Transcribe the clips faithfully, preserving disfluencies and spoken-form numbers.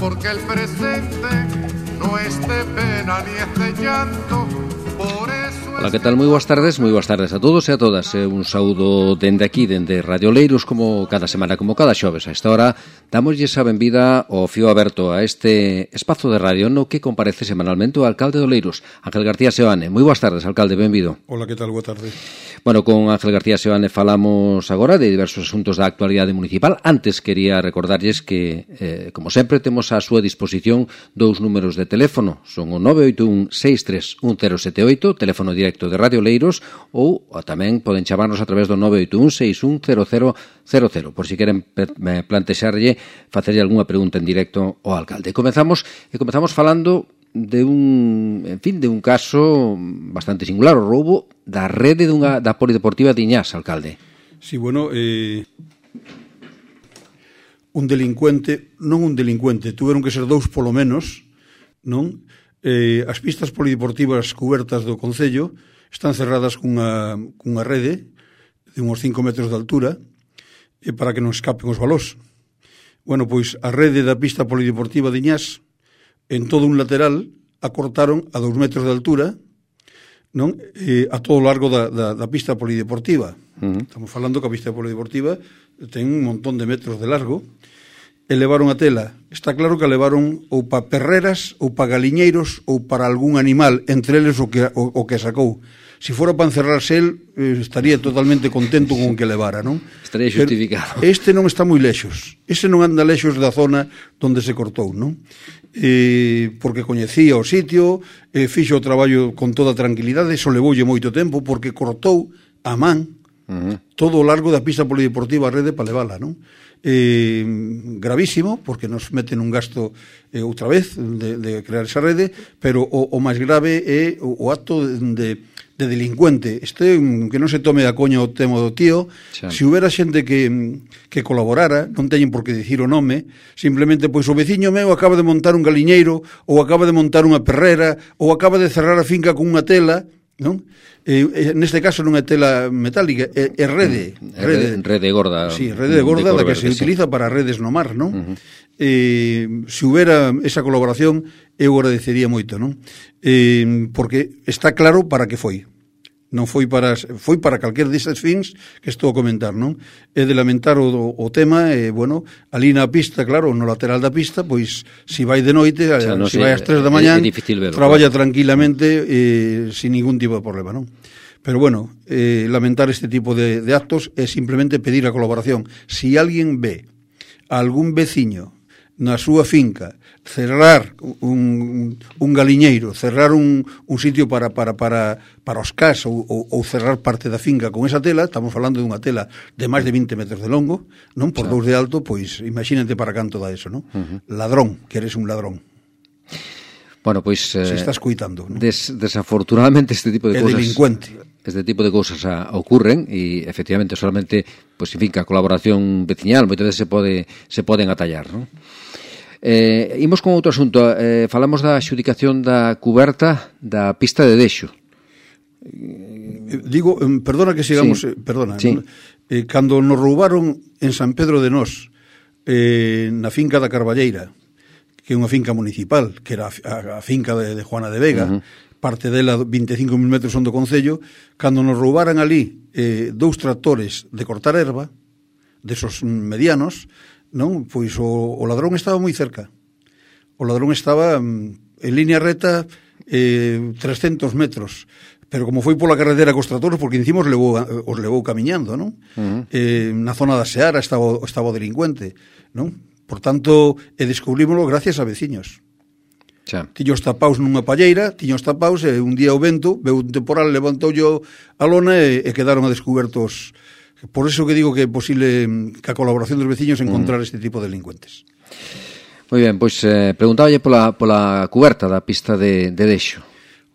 porque el presente no es de pena ni es de llanto. Por eso. Ola, que tal? Moi boas tardes, moi boas tardes a todos e a todas. E un saúdo dende aquí, dende Radio Oleiros, como cada semana, como cada xoves. A esta hora, damoslle a benvida ao fío aberto a este espazo de radio no que comparece semanalmente o alcalde de Oleiros, Ángel García Seoane. Moi boas tardes, alcalde, benvido. Ola, que tal? Boa tarde. Bueno, con Ángel García Seoane falamos agora de diversos asuntos da actualidade municipal. Antes quería recordarlles que, eh, como sempre, temos á súa disposición dous números de teléfono. Son o nove oito un seis tres un cero sete oito, teléfono directo de Radio Oleiros, ou, ou tamén poden chamarnos a través do nove oito un seis un cero cero cero cero, por si queren plantexarlle, facerlle algunha pregunta en directo ao alcalde. Comezamos, e comezamos falando de un, en fin, de un caso bastante singular, o roubo da rede dunha, da Polideportiva de Iñás, alcalde. Sí, bueno, eh, un delincuente, non un delincuente, tuveron que ser dous polo menos, non? Eh, as pistas polideportivas cubertas do Concello están cerradas cunha, cunha rede de uns cinco metros de altura eh, para que non escapen os balós. Bueno, pois a rede da pista polideportiva de Iñás, en todo un lateral, a cortaron a dous metros de altura, non? Eh, a todo o largo da, da, da pista polideportiva. Uh-huh. Estamos falando que a pista polideportiva ten un montón de metros de largo, e levaron a tela. Está claro que a levaron ou pa perreras, ou pa galiñeiros, ou para algún animal, entre eles o que, o, o que sacou. Se fora para encerrarse el, eh, estaría totalmente contento con o que levara, non? Estaría justificado. Pero este non está moi lexos. Ese non anda lexos da zona onde se cortou, non? Eh, porque coñecía o sitio, eh, fixo o traballo con toda tranquilidade, eso levoulle moito tempo, porque cortou a man uh-huh. todo o largo da pista polideportiva a rede para levala, non? Eh, gravísimo, porque nos meten un gasto eh, outra vez de, de crear esa rede, pero o, o máis grave é o, o acto de, de delincuente. Este, que non se tome a coña o tema do tío. Se si houbera xente que, que colaborara, non teñen por que dicir o nome, simplemente, pois o veciño meu acaba de montar un galiñeiro, ou acaba de montar unha perrera, ou acaba de cerrar a finca con unha tela, non? Eh, neste caso non é tela metálica, é, é rede, rede rede gorda. Sí, rede de gorda de da que se sí. utiliza para redes no mar, non? Uh-huh. Eh, se houbera esa colaboración, eu agradecería moito, non? Eh, porque está claro para que foi. Non foi para foi para calquer desas fins que estou a comentar, non? É de lamentar o, o tema, e, bueno, ali na pista, claro, no lateral da pista, pois, se vai de noite, o sea, no se sei, vai ás tres da mañán, traballa claro. tranquilamente, eh, sin ningún tipo de problema, non? Pero, bueno, eh, lamentar este tipo de, de actos é simplemente pedir a colaboración. Si alguén ve a algún veciño na súa finca cerrar un, un galiñeiro, cerrar un, un sitio para, para, para, para os cas ou, ou, ou cerrar parte da finca con esa tela, estamos falando dunha tela de máis de vinte metros de longo, non por dous de alto, pois imagínate para canto da eso, non? Uh-huh. Ladrón, que eres un ladrón. Bueno, pois eh, se estás cuitando, ¿no? des, desafortunadamente este tipo de é cosas delincuente. Este tipo de cousas a, ocurren e efectivamente solamente, pois, en fin, que a colaboración veciñal moitas veces se pode se poden atallar, non? Eh, imos con outro asunto, eh, falamos da xudicación da cuberta da pista de Dexo. Digo, perdona que sigamos, sí. eh, perdona, sí. ¿no? eh, cando nos roubaron en San Pedro de Nós, eh, na finca da Carballeira, que é unha finca municipal, que era a, a finca de, de Juana de Vega, uh-huh. parte dela vinte e cinco mil metros son do Concello, cando nos roubaran ali eh, dous tractores de cortar erva, desos medianos, non? Pois o, o ladrón estaba moi cerca. O ladrón estaba en línea recta eh, trescentos metros, pero como foi pola carretera cos tractores, porque encima os levou, os levou camiñando, non? Uh-huh. Eh, na zona da Seara estaba, estaba o delincuente, non? Por tanto, e descubrímoslo gracias a veciños. Xa. Tiños tapaus nunha palleira, tiños tapaus, e un día o vento, veu un temporal, levantou a lona e, e quedaron a descubertos. Por eso que digo que é posible que a colaboración dos veciños encontrar mm. este tipo de delincuentes. Moi ben, pois eh, preguntáballe pola, pola cuberta da pista de, de Dexo.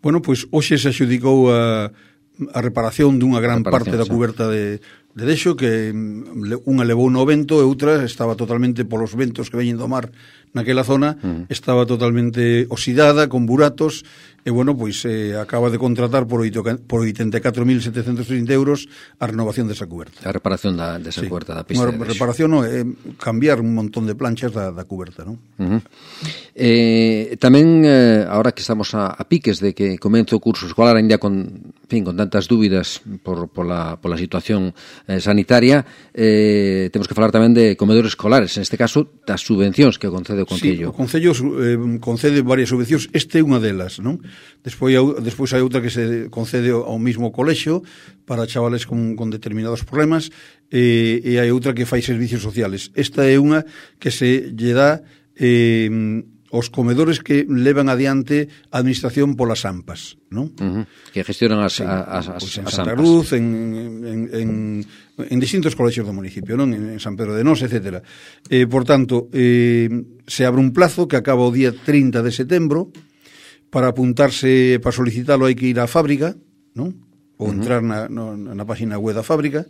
Bueno, pois hoxe se axudicou a, a reparación dunha gran reparación, parte da sí. cuberta de, de Dexo, que unha levou no vento e outra estaba totalmente polos ventos que veñen do mar naquela zona, uh-huh. estaba totalmente oxidada, con buratos, e, bueno, pois eh, acaba de contratar por, oito, por oitenta e catro mil setecentos trinta euros a renovación desa cuberta. A reparación da, desa sí. cuberta da pista Unha de Dexo. reparación, no, é cambiar un montón de planchas da, da cuberta, non? Uh-huh. Eh, tamén, eh, ahora que estamos a, a piques de que comence o curso escolar, ainda con, en fin, con tantas dúbidas por, por, la, por la situación eh, sanitaria, eh, temos que falar tamén de comedores escolares, en este caso, das subvencións que concede o Concello. Sí, o Concello eh, concede varias subvencións, este é unha delas, non? Despois, despois hai outra que se concede ao mismo colexio para chavales con, con determinados problemas, e, e hai outra que fai servicios sociales. Esta é unha que se lle dá eh, os comedores que levan adiante a administración polas AMPAs, non? Uh-huh. Que gestionan as, sí, as, as, pues en as Santa AMPAs. Cruz, en, en, en, en distintos colexios do municipio, non? En, en San Pedro de Nos, etcétera. Eh, por tanto, eh, se abre un plazo que acaba o día trinta de setembro. Para apuntarse, para solicitalo hai que ir á fábrica, non? Ou entrar na, no, na página web da fábrica.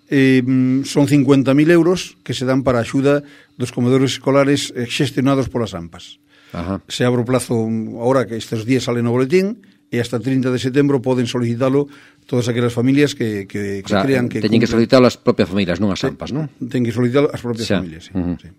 Eh, son cincuenta mil euros que se dan para a axuda dos comedores escolares xestionados polas AMPAs. Ajá. Se abre o plazo, ahora que estes días sale no boletín, e hasta trinta de setembro poden solicitalo todas aquelas familias que, que, que o sea, crean que... Teñen que solicitalo as propias familias, non as AMPAs, non? Teñen que solicitalo as propias xa. familias, sí. Uh-huh. sí.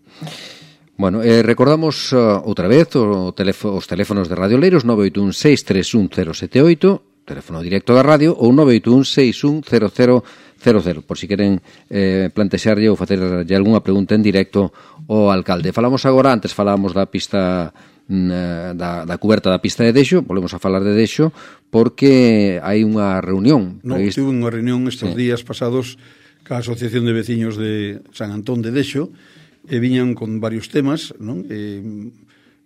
Bueno, eh, recordamos uh, outra vez o teléfono, os teléfonos de Radio Oleiros nove oito un seis tres un cero sete oito, teléfono directo da radio, ou nove oito un seis un cero cero cero cero, por si queren eh, plantexarlle ou facerlle algunha pregunta en directo ao alcalde. Falamos agora, antes falábamos da pista da, da cuberta da pista de Dexo, volvemos a falar de Dexo, porque hai unha reunión. Non, tive unha reunión estes sí. días pasados ca Asociación de Veciños de San Antón de Dexo, e viñan con varios temas, non? E,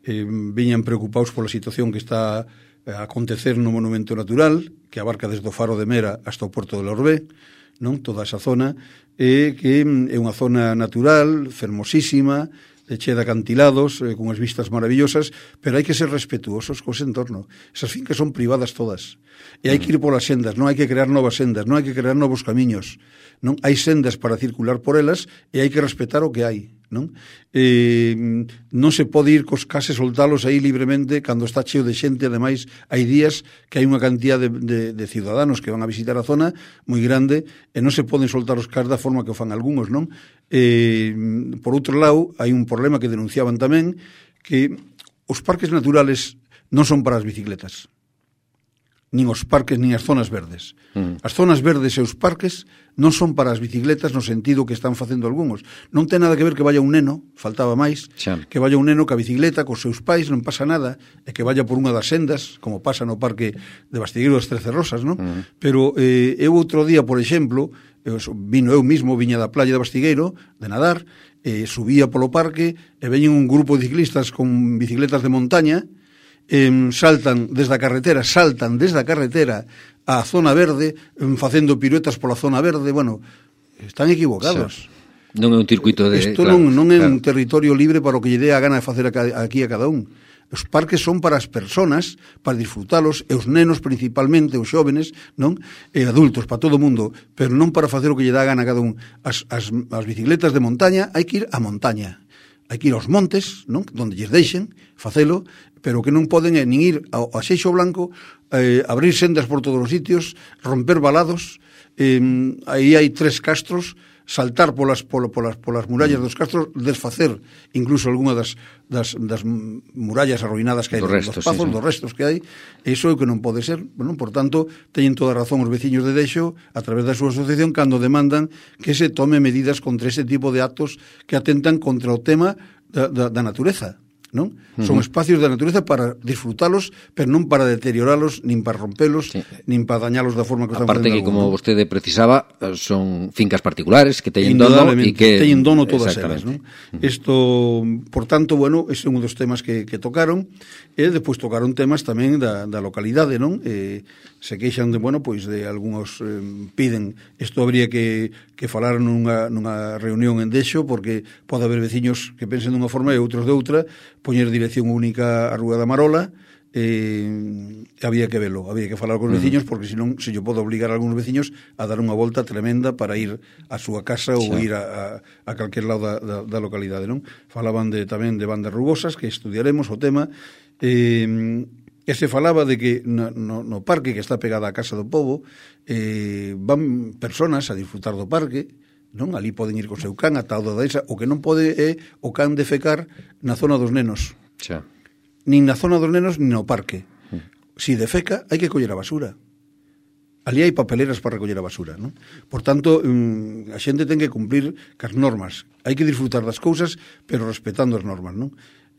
e viñan preocupados pola situación que está a acontecer no monumento natural, que abarca desde o Faro de Mera hasta o Porto de Lorbé, non? Toda esa zona, e que é unha zona natural, fermosísima, chea de acantilados, eh, con as vistas maravillosas, pero hai que ser respetuosos co entorno. Esas fincas son privadas todas. E hai que ir polas sendas, non hai que crear novas sendas, non hai que crear novos camiños. Non hai sendas para circular por elas e hai que respetar o que hai, non? Eh, non se pode ir cos cases soltalos aí libremente cando está cheo de xente. Ademais, hai días que hai unha cantidad de, de, de ciudadanos que van a visitar a zona moi grande e non se poden soltar os cas da forma que o fan algúns, non? Eh, por outro lado, hai un problema que denunciaban tamén, que os parques naturales non son para as bicicletas, nin os parques, nin as zonas verdes. Uh-huh. As zonas verdes e os parques non son para as bicicletas no sentido que están facendo algúns. Non ten nada que ver que vaya un neno, faltaba máis, xa. que vaya un neno ca bicicleta cos seus pais, non pasa nada, e que vaya por unha das sendas, como pasa no parque de Bastigueiro das Trece Rosas, non? Uh-huh. Pero eh, eu outro día, por exemplo, eu, vino eu mismo, viña da playa de Bastigueiro, de nadar, e subía polo parque, e veñen un grupo de ciclistas con bicicletas de montaña, Eh, saltan desde a carretera, saltan desde a carretera á zona verde, eh, facendo piruetas pola zona verde. Bueno, están equivocados. Sí. Non é un circuito de... Isto claro, non, non é claro. un territorio libre para o que lle dé a gana de facer aquí a cada un. Os parques son para as persoas, para disfrutalos, e os nenos principalmente, os xóvenes, non? E adultos, para todo o mundo, pero non para facer o que lle dá a gana a cada un. As, as, as bicicletas de montaña hai que ir á montaña. Hai que ir aos montes, non? Donde lles deixen facelo, pero que non poden eh, nin ir ao, ao Xeixo Blanco, eh, abrir sendas por todos os sitios, romper valados, eh, aí hai tres castros, saltar polas, polas, polas, polas murallas dos castros, desfacer incluso algunha das, das, das murallas arruinadas que hai, dos, restos, dos pazos, sí, sí. dos restos que hai. Iso é o que non pode ser. Bueno, por tanto, teñen toda a razón os veciños de Dexo, a través da súa asociación, cando demandan que se tome medidas contra ese tipo de actos que atentan contra o tema da, da, da natureza. Non? Uh-huh. Son espacios da natureza para disfrutalos, pero non para deterioralos, nin para rompelos, sí. nin para dañalos da forma que están facendo. Aparte que, como ¿no? vostede precisaba, son fincas particulares que teñen dono e que teñen dono todas elas, non? Isto, uh-huh. por tanto, bueno, ese é un dos temas que, que tocaron, e despois tocaron temas tamén da, da localidade, non? Eh, se queixan de, bueno, pois de algúns eh, piden, isto habría que, que falar nunha, nunha reunión en Dexo, porque pode haber veciños que pensen dunha forma e outros de outra, poñer dirección única á Rúa da Marola, eh, había que velo, había que falar con os veciños, porque senón se yo podo obligar a algúns veciños a dar unha volta tremenda para ir a súa casa ou ir a, a, a calquer lado da, da, da localidade, non? Falaban de, tamén de bandas rugosas, que estudiaremos o tema, eh, e se falaba de que no, no, no parque que está pegada á Casa do Pobo eh, van personas a disfrutar do parque, non? Ali poden ir co seu can ata o da esa, o que non pode é o can defecar na zona dos nenos. Xa. Nin na zona dos nenos, nin no parque. Mm. Si defeca, hai que coller a basura. Ali hai papeleras para recoller a basura, non? Por tanto, a xente ten que cumplir cas normas. Hai que disfrutar das cousas, pero respetando as normas, non?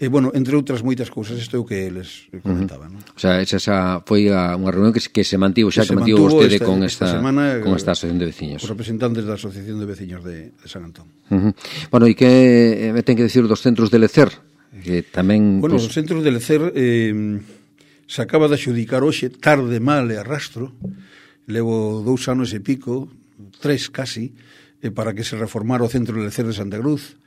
E, bueno, entre outras moitas cousas, isto é o que les comentaba, non? O sea, esa foi a, unha reunión que, que se mantivo xa, que, que mantivo vostede esta, con esta, esta semana, con esta asociación de veciños. Os representantes da Asociación de Veciños de, de San Antón. Uh -huh. Bueno, e que me ten que decir dos centros de Lecer? Que tamén... Bueno, pues... os centros de Lecer eh, se acaba de adxudicar hoxe, tarde, mal e arrastro, levo dous anos e pico, tres casi, eh, para que se reformara o centro de Lecer de Santa Cruz,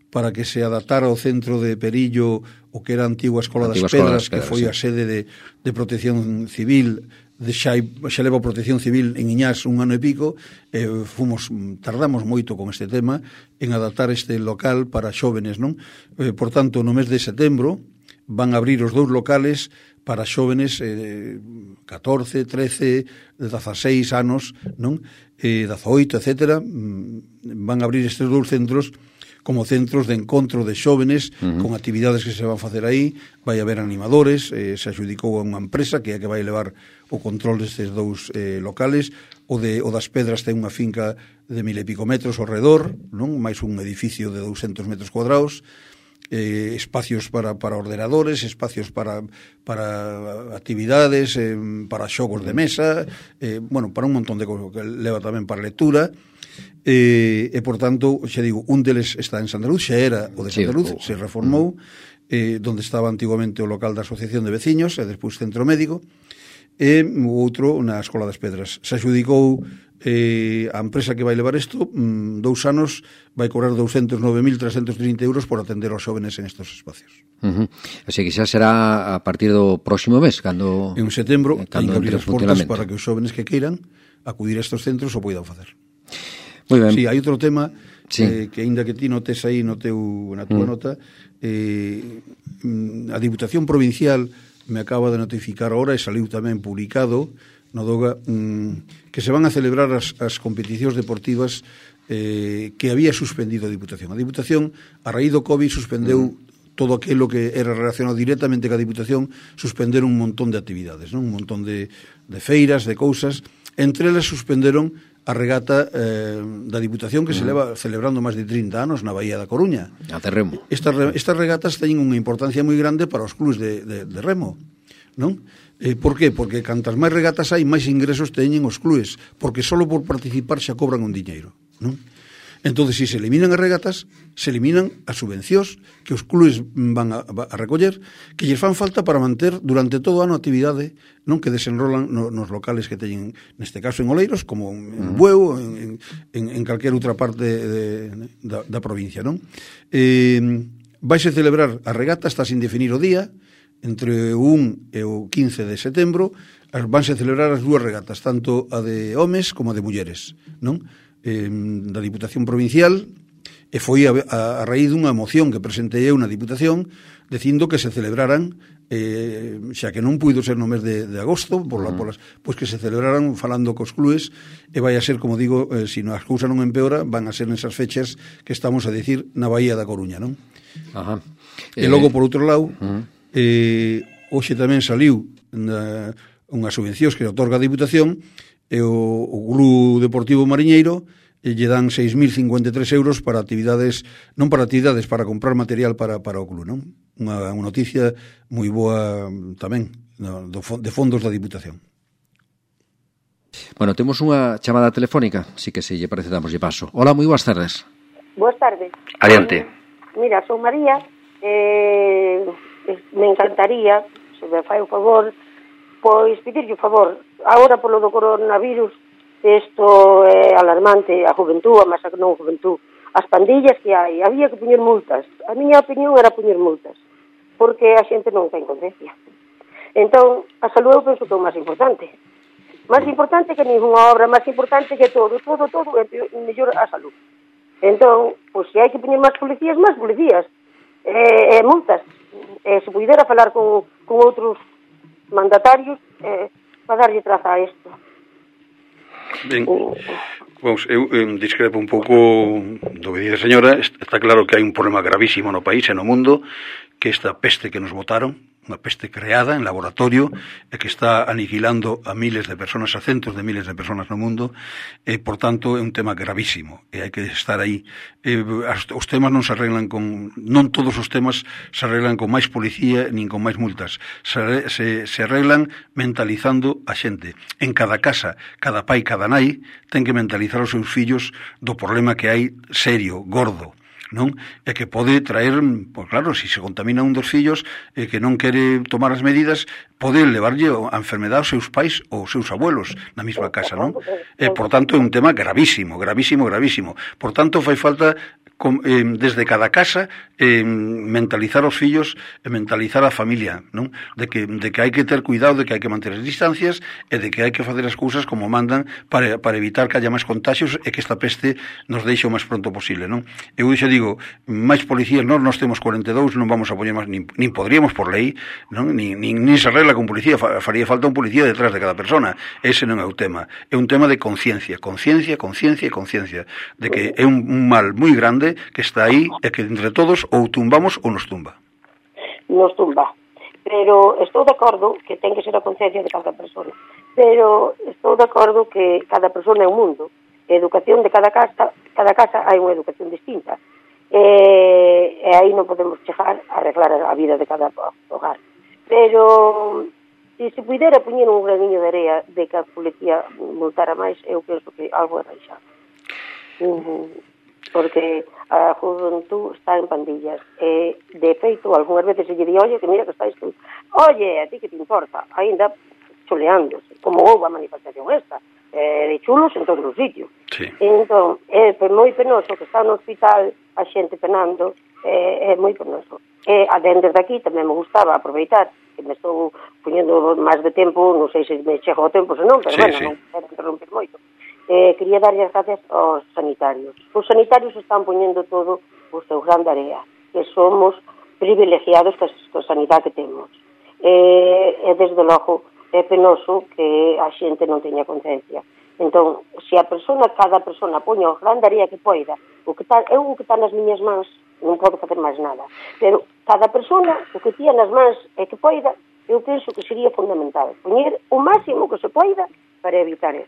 para que se adaptara ao centro de Perillo o que era a antigua Escola das Pedras, que foi a sede de, de protección civil, de xa, xa leva protección civil en Iñás un ano e pico, e fomos, tardamos moito con este tema en adaptar este local para xóvenes, non? Eh, por tanto, no mes de setembro van a abrir os dous locales para xóvenes eh, catorce, trece, dezaseis anos, non? Eh, dezaoito, etcétera. Van a abrir estes dous centros como centros de encontro de xóvenes, uh -huh. con actividades que se van facer aí, vai haber animadores, eh, se adxudicou a unha empresa que é a que vai levar o control destes dous eh, locales, o, de, o das Pedras ten unha finca de mil e pico metros ao redor, non? Mais un edificio de douscentos metros cuadrados, eh, espacios para, para ordenadores, espacios para, para actividades, eh, para xogos de mesa, eh, bueno, para un montón de cousas, que leva tamén para lectura. E, e por tanto, xa digo, un deles está en Santa Luz, xa era o de Santa Luz, sí, se reformou, eh, donde estaba antiguamente o local da Asociación de Veciños e despois Centro Médico, e o outro na Escola das Pedras. Se adxudicou eh, a empresa que vai levar isto, mm, dous anos vai cobrar douscentos nove mil trescentos trinta euros por atender aos xóvenes en estos espacios. Uh -huh. Así que xa será a partir do próximo mes, cando... En setembro, eh, hai que abrir as portas para que os xóvenes que queiran acudir a estos centros o poidan facer. Muy ben. Sí, hai outro tema, sí, eh, que aínda que ti notes aí no teu, na túa mm. nota, eh, a Diputación Provincial me acaba de notificar ahora, e saliu tamén publicado no Doga, mm, que se van a celebrar as, as competicións deportivas eh, que había suspendido a Diputación. A Diputación, a raíz do COVID, suspendeu mm. todo aquilo que era relacionado directamente ca Diputación, suspender un montón de actividades, non? Un montón de, de feiras, de cousas. Entre elas suspenderon a regata eh, da Diputación que se leva celebrando máis de trinta anos na Bahía da Coruña. A de remo. Estas, estas regatas teñen unha importancia moi grande para os clubs de, de, de remo, non? Eh, por qué? Porque cantas máis regatas hai, máis ingresos teñen os clubs, porque só por participar xa cobran un diñeiro, non? Entón, se se eliminan as regatas, se eliminan as subvencións que os clubes van a, a recoller, que lles fan falta para manter durante todo o ano a actividade, non, que desenrolan no, nos locales que teñen, neste caso en Oleiros, como en Bueu, en, en, en calquer outra parte de, de, da, da provincia, non? Eh, vaise celebrar a regata, está sin definir o día, entre o un e o quince de setembro, vanse celebrar as dúas regatas, tanto a de homes como a de mulleres, non? Eh, da Diputación Provincial, e foi a, a, a raíz dunha moción que presentei eu na Diputación dicindo que se celebraran, eh, xa que non puido ser no mes de, de agosto, por la, por las, pois que se celebraran falando cos clubes, e vai a ser, como digo, eh, se as cousas non empeora, van a ser nesas fechas que estamos a decir na Bahía da Coruña, non? Ajá. E logo, por outro lado, uh -huh. eh, hoxe tamén saliu na, unhas subvencións que otorga a Diputación, e o, o Club Deportivo Mariñeiro e lle dan seis mil cincuenta e tres euros para actividades, non para actividades, para comprar material para, para o club, non? Unha, unha noticia moi boa tamén no, do, de fondos da Diputación. Bueno, temos unha chamada telefónica, si que se lle parece damos lle paso. Hola, moi boas tardes. Boas tardes. Adiante. Mira, son María, eh, me encantaría, se me fai o favor, pois pedirlle o favor, agora polo do coronavirus, isto é alarmante, a juventud, a masa que non a juventud, as pandillas que hai, había que poñer multas. A miña opinión era poñer multas, porque a xente non ten conciencia. Entón, a saúde eu penso que é o máis importante. Máis importante que ninguna obra, máis importante que todo, todo, todo, é mellor a saúde. Entón, pois se hai que poñer máis policías, máis policías, e, e multas. E se pudera falar con, con outros mandatarios, eh, para darlle traza a isto. Ben, vamos, eu eh, discrepo un pouco do que dice a señora. Está claro que hai un problema gravísimo no país e no mundo, que esta peste que nos botaron, unha peste creada en laboratorio e que está aniquilando a miles de personas, a centos de miles de personas no mundo, e, por tanto, é un tema gravísimo e hai que estar aí. E, os temas non se arreglan con... Non todos os temas se arreglan con máis policía nin con máis multas. Se, se, se arreglan mentalizando a xente. En cada casa, cada pai, cada nai, ten que mentalizar os seus fillos do problema que hai serio, gordo, non? E que pode traer, pois claro, se se contamina un dos fillos e que non quere tomar as medidas, pode levarlle a enfermedade aos seus pais ou aos seus abuelos na mesma casa, non? E, por tanto, é un tema gravísimo, gravísimo, gravísimo. Por tanto, fai falta com, eh, desde cada casa eh, mentalizar os fillos e mentalizar a familia, non? De que, de que hai que ter cuidado, de que hai que manter as distancias e de que hai que facer as cousas como mandan para, para evitar que haya máis contagios e que esta peste nos deixe o máis pronto posible, non? Eu xa digo, máis policías, non nos temos cuarenta e dous, non vamos a poñer máis, nin, nin podríamos por lei, non? Nin, nin, nin se arregla con policía, faría falta un policía detrás de cada persona. Ese non é o tema. É un tema de conciencia, conciencia, conciencia e conciencia, de que é un, un mal moi grande que está aí e que entre todos ou tumbamos ou nos tumba. Nos tumba. Pero estou de acordo que ten que ser a conciencia de cada persona. Pero estou de acordo que cada persona é un mundo. A educación de cada casa, cada casa hai unha educación distinta. E, e aí non podemos chegar a arreglar a vida de cada hogar. Pero se se pudera poñer un graniño de area de que a policía multara máis, eu penso que algo é reixado. Uh-huh. Porque a juventud está en pandillas e, de feito, algunhas veces se lle di, oye, que mira que estáis tú, oye, a ti que te importa, ainda chuleándose, como houve a manifestación esta, eh, de chulos en todos os sitios. Sí. Entón, é moi penoso que está no hospital a xente penando, eh, é moi penoso. E, dende de aquí, tamén me gustaba aproveitar, que me estou poñendo máis de tempo, non sei se me chego o tempo, senón, pero, sí, bueno, sí, non quero interrumpir moito. Eh, quería darlle as gracias aos sanitarios. Os sanitarios están poñendo todo o seu gran area, que somos privilegiados con a sanidade que temos. Eh, e, desde logo, é penoso que a xente non teña conciencia. Entón, se a persona, cada persona poña o gran area que poida, o que está, eu o que está nas miñas mans, non podo facer máis nada. Pero cada persona, o que tía nas mans e que poida, eu penso que sería fundamental. Poñer o máximo que se poida para evitar eso.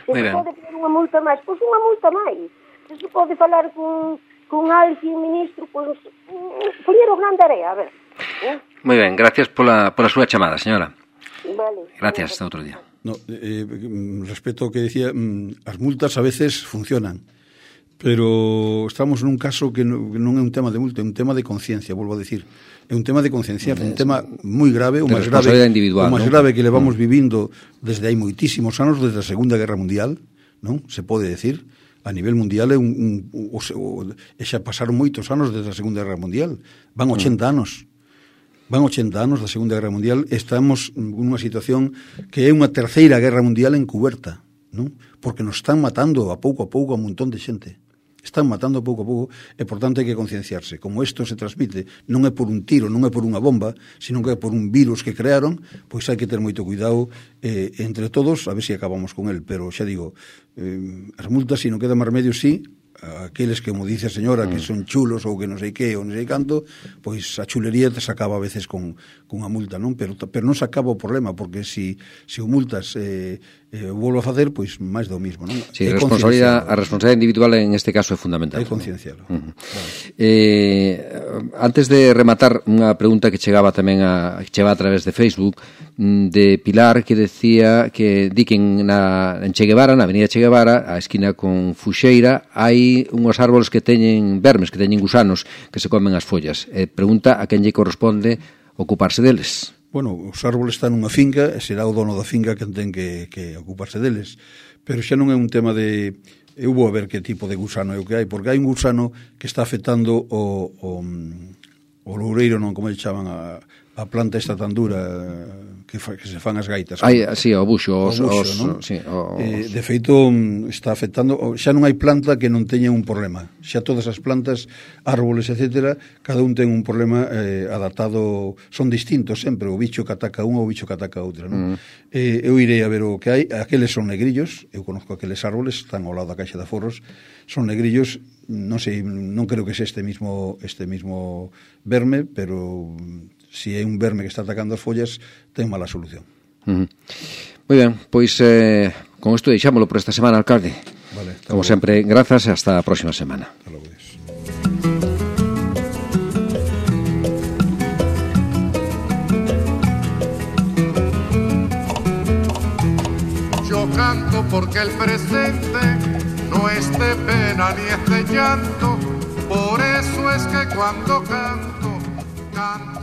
Se se pode poner unha multa máis, pois unha multa máis. Se se pode falar con, con alguén, ministro, pois poñer o gran area, a ver. Eh? Moi ben, gracias pola, pola súa chamada, señora. Vale. Gracias, hasta outro día. No, eh, respecto ao que decía, as multas a veces funcionan, pero estamos nun caso que non é un tema de multa, é un tema de conciencia, volvo a decir. É un tema de concienciar, un tema moi grave, o máis grave, o máis grave que levamos mm. vivindo desde hai moitísimos anos, desde a Segunda Guerra Mundial, non? Se pode decir, a nivel mundial é un, un o, o, e xa pasaron moitos anos desde a Segunda Guerra Mundial, van ochenta mm. anos. Van ochenta anos da Segunda Guerra Mundial, estamos nunha situación que é unha terceira guerra mundial encuberta, non? Porque nos están matando a pouco a pouco a un montón de xente. Están matando pouco a pouco e, por tanto, hai que concienciarse. Como isto se transmite, non é por un tiro, non é por unha bomba, sino que é por un virus que crearon, pois hai que ter moito cuidado eh, entre todos, a ver se acabamos con el. Pero, xa digo, eh, as multas, se non queda máis remedio, sí, aqueles que, como dice a señora, que son chulos ou que non sei que ou non sei canto, pois a chulería se acaba a veces con, con a multa, non? Pero, pero non se acaba o problema, porque se si, si o multas eh, eh, volvo a facer, pois máis do mismo, non? Sí, a responsabilidade, a responsabilidade individual en este caso é fundamental. É conciencialo. Uh -huh. Vale. eh, antes de rematar, unha pregunta que chegaba tamén a, que chegaba a través de Facebook, de Pilar, que decía que di que en, na, en Che Guevara, na avenida Che Guevara, a esquina con Fuxeira, hai unhos árboles que teñen vermes, que teñen gusanos que se comen as follas. Eh, pregunta a quen lle corresponde ocuparse deles. Bueno, os árboles están nunha finca e será o dono da finca quen ten que, que ocuparse deles. Pero xa non é un tema de... Eu vou a ver que tipo de gusano é o que hai, porque hai un gusano que está afectando o, o, o loureiro, non como lle chaman, a, a planta esta tan dura que, fa, que se fan as gaitas. Ai, sí, o buxo, os, o buxo, os, non? Sí, os... Eh, de feito, está afectando, xa non hai planta que non teña un problema. Xa todas as plantas, árboles, etcétera, cada un ten un problema eh, adaptado, son distintos sempre, o bicho que ataca unha ou o bicho que ataca outra, non? Mm. Eh, eu irei a ver o que hai, aqueles son negrillos, eu conozco aqueles árboles, están ao lado da caixa de aforros, son negrillos, non sei, non creo que sea este mismo, este mismo verme, pero si é un verme que está atacando as follas, ten mala solución. Uh -huh. Moi ben, pois eh, con isto deixámoslo por esta semana, alcalde. Vale, como logo. sempre, grazas e hasta a próxima semana. Hasta logo, Dios. Yo canto porque el presente no es de pena ni es de llanto, por eso es que cuando canto, canto